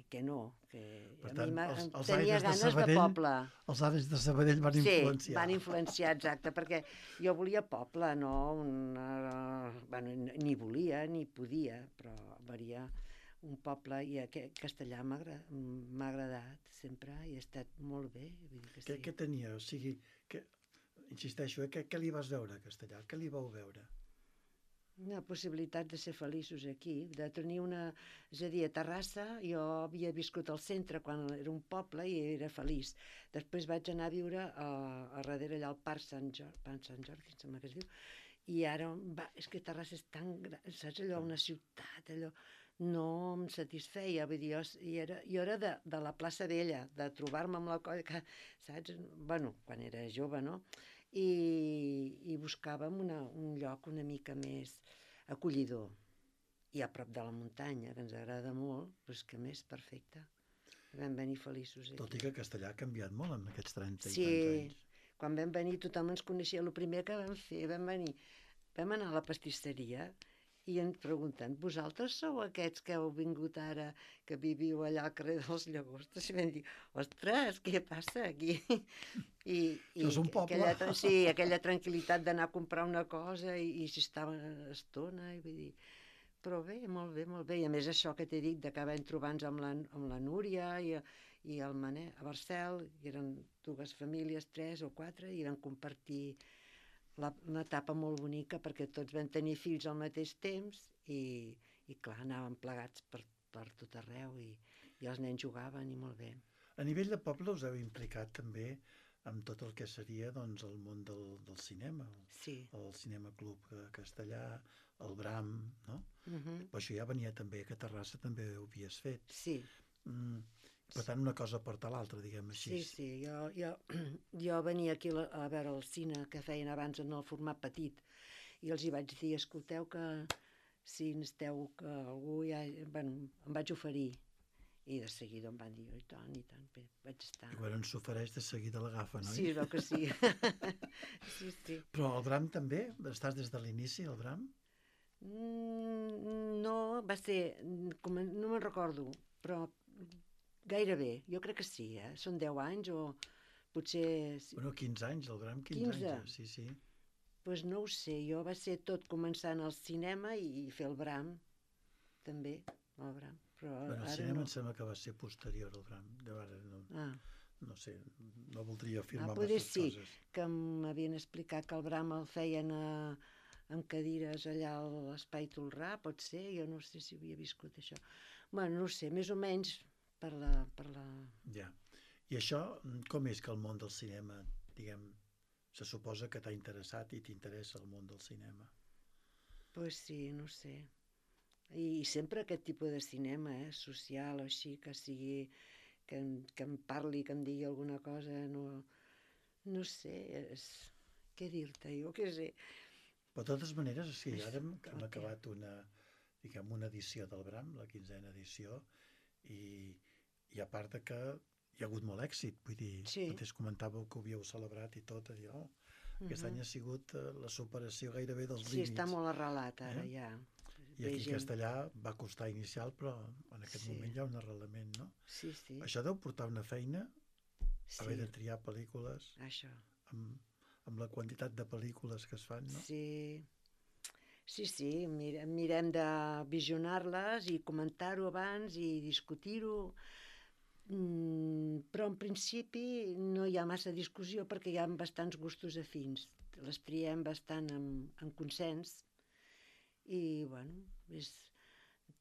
S2: que no, que
S1: per
S2: a
S1: tant,
S2: mi
S1: els
S2: tenia ganes de poble.
S1: Els aires de Sabadell van influenciar.
S2: Sí, van influenciar, exacte, perquè jo volia poble, no? Bueno, ni volia ni podia, però volia un poble, i Castellar m'ha agradat sempre i ha estat molt bé. Vull dir que sí.
S1: Què tenia? O sigui, insisteixo, què li vas veure a Castellar? Què li vau veure?
S2: Una possibilitat de ser feliços aquí, de tenir una... És a dir, a Terrassa jo havia viscut al centre quan era un poble i era feliç. Després vaig anar a viure a darrere allà al Parc Sant Jordi, em sembla que es diu, i ara, és que Terrassa és tan gran, saps allò, una ciutat, allò... No em satisfeia, vull dir, jo era de la plaça Vella, de trobar-me amb la colla, saps? Bueno, quan era jove, no? I buscàvem un lloc una mica més acollidor i a prop de la muntanya, que ens agrada molt, però és que més perfecte. Vam venir feliços aquí.
S1: Tot i que Castellar ha canviat molt en aquests 30 i tants anys.
S2: Sí, quan vam venir tothom ens coneixia. El primer que vam fer, vam anar a la pastisseria i ens pregunten, vosaltres sou aquests que heu vingut ara, que viviu allà al carrer dels Llagostes? I vam dir, ostres, què passa aquí?
S1: Això és un poble.
S2: Sí, aquella tranquil·litat d'anar a comprar una cosa i s'hi estava estona, i vull dir... Però bé, molt bé, molt bé. I a més això que t'he dit, d'acabar trobant-nos amb la Núria i el Manel a Barcel, i eren 2 famílies, 3 o 4, i vam compartir una etapa molt bonica perquè tots vam tenir fills al mateix temps i clar, anàvem plegats per tot arreu i els nens jugaven i molt bé.
S1: A nivell de poble us heu implicat també amb tot el que seria doncs, el món del cinema, el Cinema Club Castellà, el Bram, no? Però això ja venia també, que a Terrassa també ho havies fet.
S2: Sí.
S1: Per tant, una cosa porta l'altra, diguem així.
S2: Sí, jo venia aquí a veure el cine que feien abans en el format petit i els hi vaig dir, escolteu que si necessiteu que algú em vaig oferir i de seguida em van dir, i tant, bé, vaig estar.
S1: I quan s'ofereix de seguida l'agafa, no?
S2: Sí, es veu que sí. Sí.
S1: Però el Bram també? Estàs des de l'inici, el Bram?
S2: No, va ser, no me'n recordo, però gairebé, jo crec que sí, són 10 anys o potser...
S1: Bueno, 15 anys, el Bram, 15 anys, sí.
S2: Doncs no ho sé, jo va ser tot començant al cinema i fer el Bram, també, el Bram.
S1: Bueno, el cinema em sembla que va ser posterior al Bram, no sé, no voldria afirmar
S2: poder
S1: masses
S2: sí,
S1: coses.
S2: que m'havien explicat que el Bram el feien amb cadires allà a l'Espai Tolrà, pot ser, jo no sé si havia viscut això. Bueno, no sé, més o menys per la...
S1: Ja. I això, com és que el món del cinema, diguem, se suposa que t'ha interessat i t'interessa el món del cinema?
S2: Pues sí, no sé. I sempre aquest tipus de cinema, social o així, que sigui, que em parli, que em digui alguna cosa, no sé, què dir-te, jo què sé.
S1: Però de totes maneres, sí, ara hem
S2: El què?
S1: acabat una edició del Bram, la 15a edició, i a part de que hi ha hagut molt èxit, vull dir,
S2: Sí.
S1: mateix comentàveu que ho havíeu celebrat i tot, a dir, aquest any ha sigut la superació gairebé dels
S2: Sí,
S1: límits.
S2: està molt arrelat ara, ja.
S1: I aquí a Castellà va costar inicial, però en aquest
S2: Sí.
S1: moment hi ha un arrelament, no?
S2: Sí, sí.
S1: Això deu portar una feina, haver de
S2: Sí,
S1: triar pel·lícules,
S2: això.
S1: amb la quantitat de pel·lícules que es fan, no?
S2: Sí, sí, mirem de visionar-les i comentar-ho abans i discutir-ho, però en principi no hi ha massa discussió perquè hi ha bastants gustos afins. Les triem bastant en consens i, bueno, és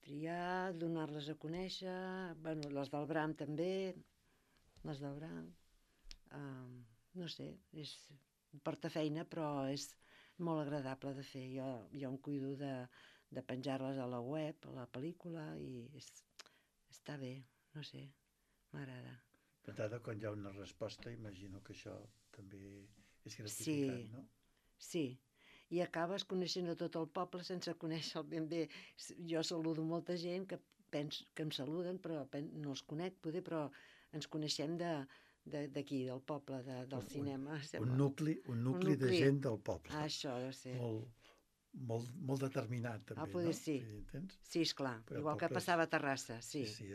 S2: triar, donar-les a conèixer, bueno, les del Bram també, les del Bram, no sé, porta feina però és molt agradable de fer. Jo em cuido de penjar-les a la web, a la pel·lícula, i està bé, no sé, m'agrada.
S1: D'entrada, quan hi ha una resposta, imagino que això també és gratificant,
S2: Sí,
S1: no?
S2: sí, i acabes coneixent a tot el poble sense conèixer-el ben bé. Jo saludo molta gent que penso que em saluden, però no els conec, poder, però ens coneixem d'aquí, del poble, del cinema.
S1: Un nucli de gent del poble.
S2: Això deu ser.
S1: Molt determinat, també,
S2: Poder
S1: no?
S2: sí.
S1: Entens?
S2: Sí, esclar,
S1: Però
S2: igual que passava a Terrassa, sí.
S1: Sí,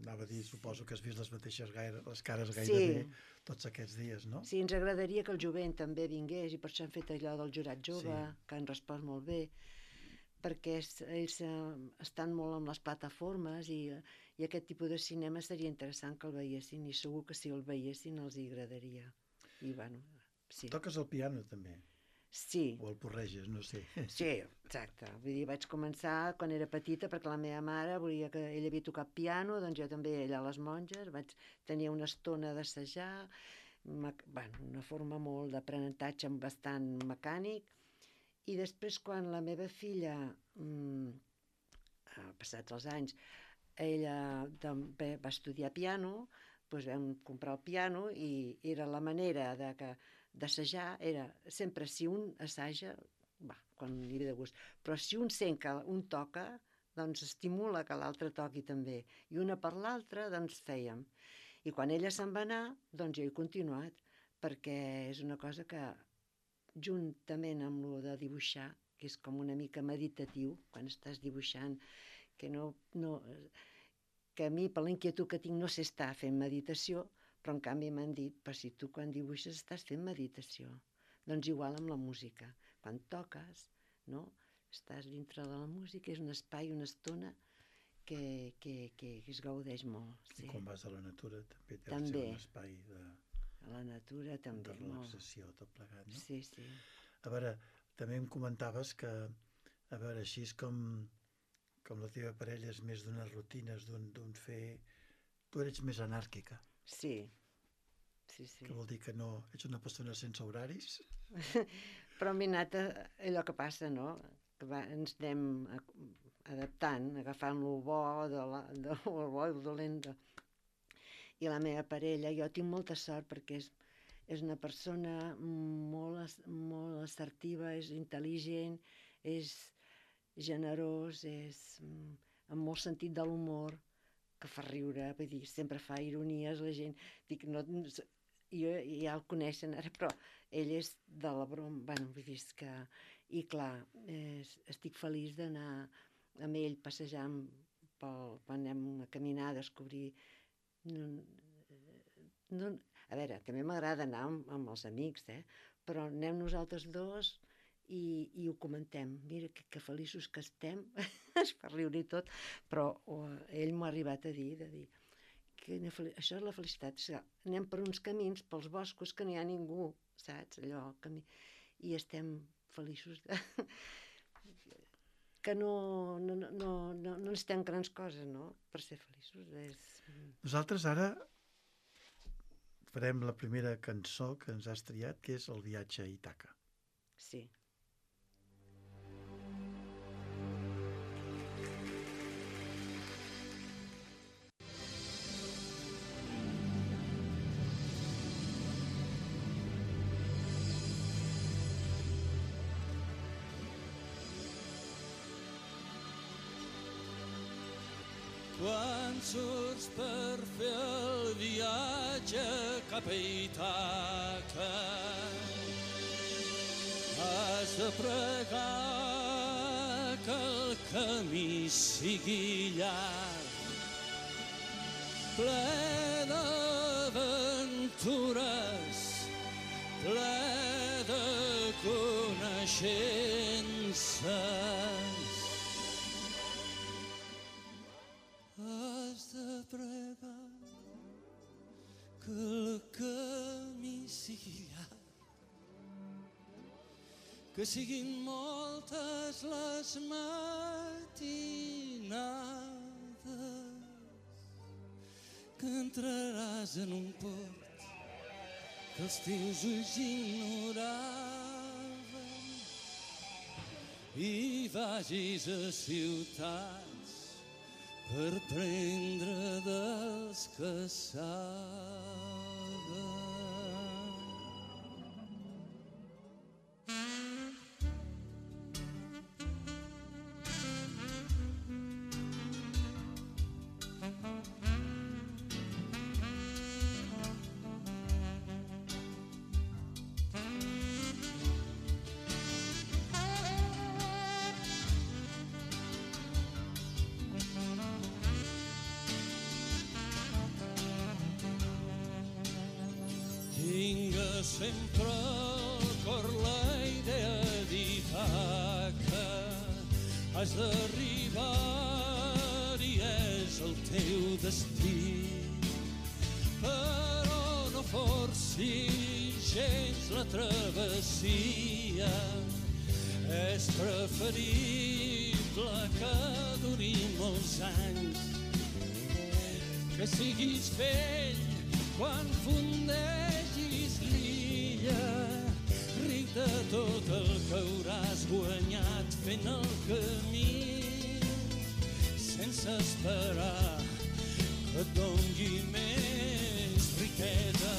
S1: anava a dir, suposo que has vist les mateixes les cares gairebé tots aquests dies, no?
S2: Sí, ens agradaria que el jovent també vingués i per això han fet allò del jurat jove, que han respost molt bé, perquè ells estan molt amb les plataformes i aquest tipus de cinema seria interessant que el veiessin i segur que si el veiessin els hi agradaria. I bueno, sí.
S1: Toques el piano també?
S2: Sí.
S1: O el porreges, no sé.
S2: Sí, exacte. Vull dir, vaig començar quan era petita perquè la meva mare volia que ella havia tocat piano, doncs jo també allà a les monges vaig tenir una estona d'assajar, una forma molt d'aprenentatge bastant mecànic, i després quan la meva filla, passats els anys, ella també va estudiar piano, doncs vam comprar el piano i era la manera d'assajar, era sempre si un assaja, quan li ve de gust, però si un sent que un toca, doncs estimula que l'altre toqui també, i una per l'altra doncs fèiem. I quan ella se'n va anar, doncs jo he continuat, perquè és una cosa que juntament amb lo de dibuixar, que és com una mica meditatiu, quan estàs dibuixant, que que a mi, per l'inquietud que tinc, no sé estar fent meditació, però en canvi m'han dit, però si tu quan dibuixes estàs fent meditació. Doncs igual amb la música. Quan toques, no? Estàs dintre de la música, és un espai, una estona que es gaudeix molt. Sí.
S1: I quan vas a la natura també deu ser un espai
S2: a la natura també.
S1: De relaxació, tot plegat, no?
S2: Sí, sí.
S1: A veure, també em comentaves que, a veure, així és com la teva parella és més d'unes rutines, d'un fer... Tu eres més anàrquica.
S2: Sí.
S1: Que vol dir que no ets una persona sense horaris?
S2: Però m'he anat allò que passa, no? Que ens anem adaptant, agafant lo bo, el bo i el dolent. I la meva parella, jo tinc molta sort perquè és una persona molt assertiva, és intel·ligent, és generós, és amb molt sentit de l'humor, que fa riure, vull dir, sempre fa ironies, la gent, dic, no, jo ja el coneixen ara, però ell és de la broma, bueno, vull dir que, i clar, estic feliç d'anar amb ell passejant quan anem a caminar, a descobrir, a veure, també m'agrada anar amb els amics, però anem nosaltres dos i ho comentem, mira que feliços que estem, es fa riure i tot, però ell m'ha arribat a dir això és la felicitat. O sigui, anem per uns camins, pels boscos, que no hi ha ningú, saps? Allò, i estem feliços que no necessitem grans coses, no?, per ser feliços.
S1: Nosaltres ara farem la primera cançó que ens has triat, que és El viatge a Ítaca.
S2: Sí.
S4: Quan surts per fer el viatge cap a Ítaca, has de pregar que el camí sigui llarg, ple d'aventures, ple de coneixences. Has de pregar que el camí sigui llarg, que siguin moltes les matinades, que entraràs en un port que els teus ulls ignoraven i vagis a ciutats per prendre dels que saben. Sempre al cor la idea d'Ítaca, has d'arribar i és el teu destí, però no forcis gens la travessia, és preferible que duri molts anys, que siguis vell quan fundegis l'illa, ric de tot el que hauràs guanyat fent el camí, sense esperar que et doni més riquesa.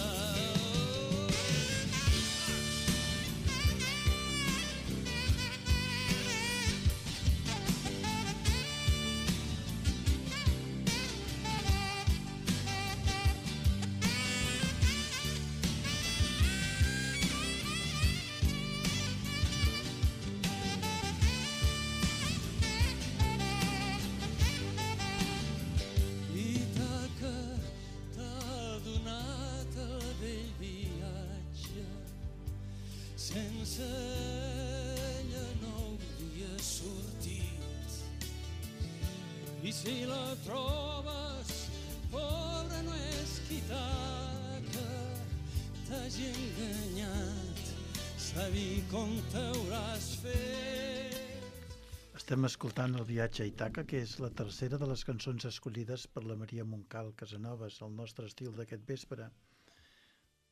S4: Sense ella no hauria sortit. I si la trobes, pobra no és qui t'hagi enganyat, sabi com t'hauràs fet.
S1: Estem escoltant El viatge a Ítaca, que és la tercera de les cançons escollides per la Maria Montcal Casanovas, el nostre estil d'aquest vespre.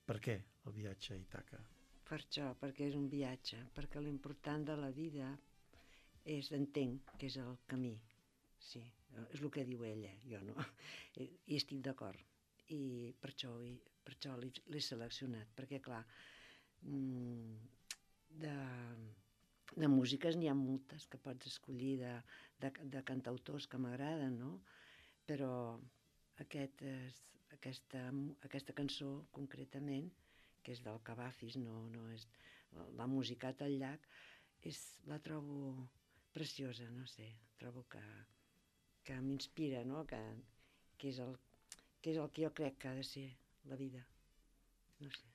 S1: Per què el viatge a Ítaca?
S2: Per això, perquè és un viatge, perquè l'important de la vida és, entenc, que és el camí. Sí, és el que diu ella, jo no. I estic d'acord. I per això l'he seleccionat, perquè, clar, de músiques n'hi ha moltes que pots escollir, de cantautors que m'agraden, no? Però aquesta cançó, concretament, que és del Cavafis, no és la música al llac, la trobo preciosa, no sé, trobo que m'inspira, no? Que és el que jo crec que ha de ser la vida, no sé.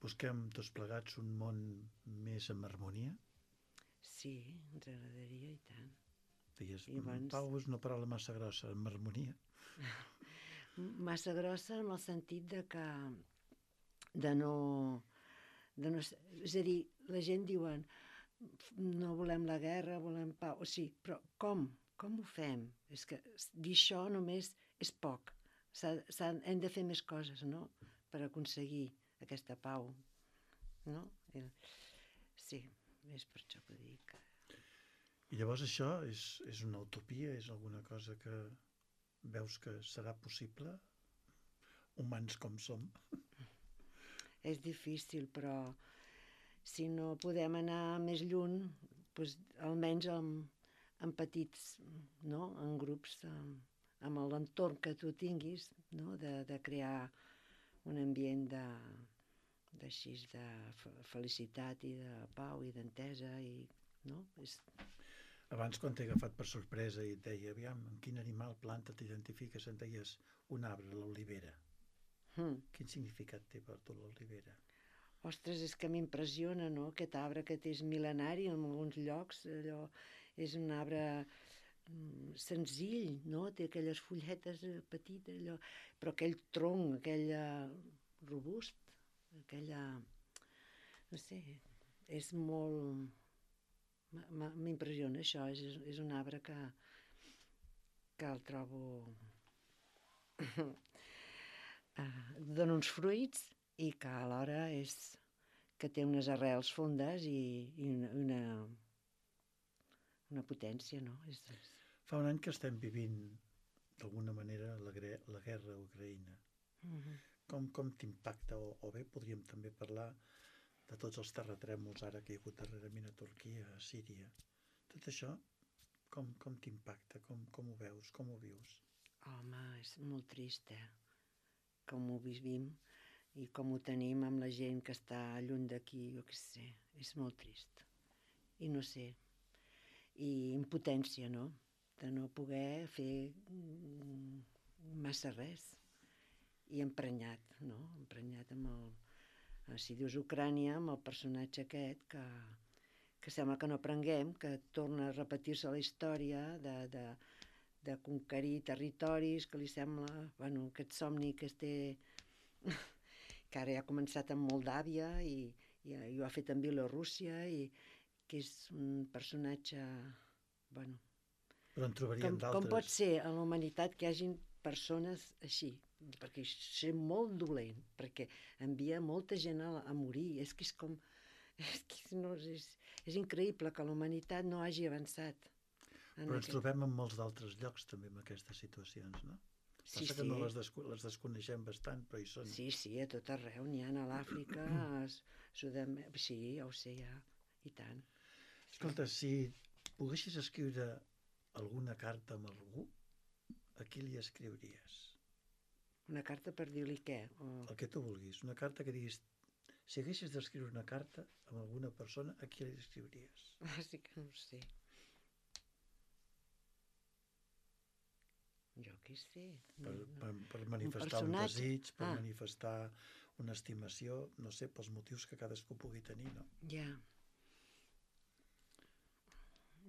S1: Busquem tots plegats un món més en harmonia?
S2: Sí, ens agradaria, i tant.
S1: Deies, Pau, és una paraula massa grossa, en harmonia.
S2: Massa grossa en el sentit de no... És a dir, la gent diuen no volem la guerra, volem pau. O sigui, però com? Com ho fem? És que dir això només és poc. Hem de fer més coses, no?, per aconseguir aquesta pau, no? Sí, és per això que dic.
S1: I llavors això és una utopia? És alguna cosa que veus que serà possible? Humans com som?
S2: És difícil, però si no podem anar més lluny, doncs almenys en petits, no?, en grups, amb l'entorn que tu tinguis, no?, de crear un ambient de felicitat i de pau i d'entesa, i, no?
S1: Abans, quan t'he agafat per sorpresa i et deia, aviam, amb quin animal, planta t'identifiques, em deies un arbre, l'olivera. Quin significat té per tu l'olivera?
S2: Ostres, és que m'impressiona, no?, aquest arbre que és mil·lenari en alguns llocs. Allò és un arbre senzill, no?, té aquelles fulletes petites, allò, però aquell tronc, aquell robust, aquella... no sé, és molt... m'impressiona això, és un arbre que el trobo... dona uns fruits i que alhora és que té unes arrels fondes i una potència, no?
S1: Fa un any que estem vivint d'alguna manera la guerra a Ucraïna. Com t'impacta? O bé podríem també parlar de tots els terratrèmols ara que hi ha hagut darrerament a Turquia, a Síria. Tot això, com t'impacta? Com ho veus? Com ho vius?
S2: Home, és molt trist, com ho vivim i com ho tenim amb la gent que està lluny d'aquí, jo què sé, és molt trist. I no sé, i impotència, no?, de no poder fer massa res. I emprenyat, no?, emprenyat amb el... Si dius Ucrània, amb el personatge aquest que sembla que no aprenguem, que torna a repetir-se la història de conquerir territoris, que li sembla, bueno, aquest somni que es té, que ara ja ha començat amb Moldàvia i ho ha fet amb Bielorússia, i que és un personatge, bueno...
S1: Però en trobaríem d'altres.
S2: Com pot ser a la humanitat que hi hagin persones així? Perquè és molt dolent, perquè envia molta gent a morir. És que és com... És increïble que la humanitat no hagi avançat.
S1: Però ens trobem en molts d'altres llocs també amb aquestes situacions, no?
S2: Sí,
S1: Passa que no les desconeixem bastant, però hi són.
S2: Sí, a tot arreu, n'hi ha a l'Àfrica, sí, ja ho sé, ja, i tant.
S1: Escolta, si poguessis escriure alguna carta amb algú, a qui li escriuries?
S2: Una carta per dir-li què?
S1: El que tu vulguis, una carta que diguis, si haguessis d'escriure una carta amb alguna persona, a qui li escriuries?
S2: Sí que no ho sé. Jo què sé.
S1: Per manifestar un desig, per manifestar una estimació, no sé, pels motius que cadascú pugui tenir, no?
S2: Ja.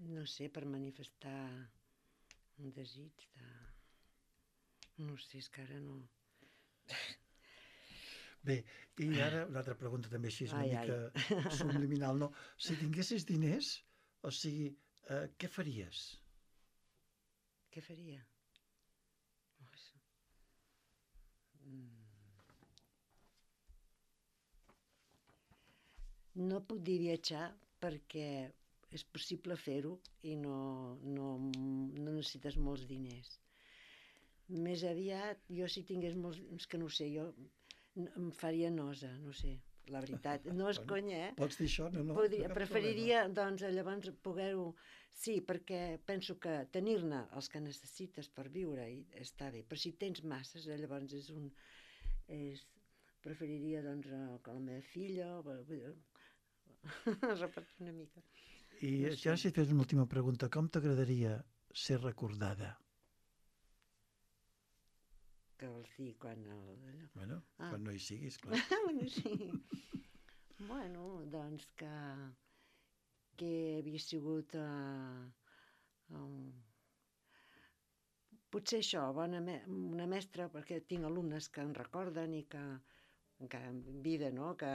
S2: No sé, per manifestar un desig de... No sé, és que ara no...
S1: Bé, i ara una altra pregunta també així, una mica subliminal, no? Si tinguessis diners, o sigui, què faries?
S2: Què faria? No puc dir viatjar perquè és possible fer-ho i no necessites molts diners. Més aviat, jo si tingués molts... És que no ho sé, jo em faria nosa, no sé, la veritat. No és conya,
S1: Pots dir això? No,
S2: preferiria, doncs, llavors poder-ho... Sí, perquè penso que tenir-ne els que necessites per viure està bé, però si tens masses, llavors preferiria, doncs, que la meva filla... repartir una mica.
S1: I ja si et fes una última pregunta, com t'agradaria ser recordada?
S2: Què vols dir, quan...
S1: Bueno, quan no hi siguis, clar.
S2: Sí. Bueno, doncs que havia sigut potser això, una mestra, perquè tinc alumnes que en recorden i que en vida, no?, que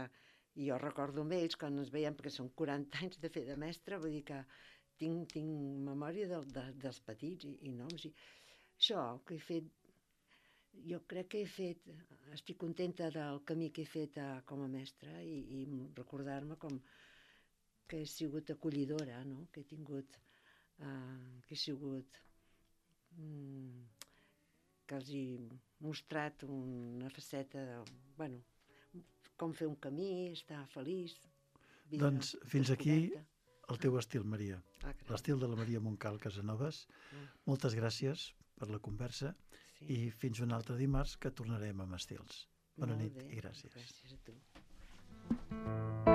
S2: jo recordo amb ells quan ens veiem, perquè són 40 anys de fer de mestra, vull dir que tinc memòria dels petits i noms. I això que he fet, jo crec que estic contenta del camí que he fet com a mestra i recordar-me com que he sigut acollidora, no?, que he tingut, que he sigut, que els he mostrat una faceta de, com fer un camí, estar feliç.
S1: Doncs fins aquí el teu estil, Maria. L'estil de la Maria Montcal Casanovas. Moltes gràcies per la conversa i fins un altre dimarts que tornarem amb estils. Bona nit i gràcies.
S2: Gràcies a tu.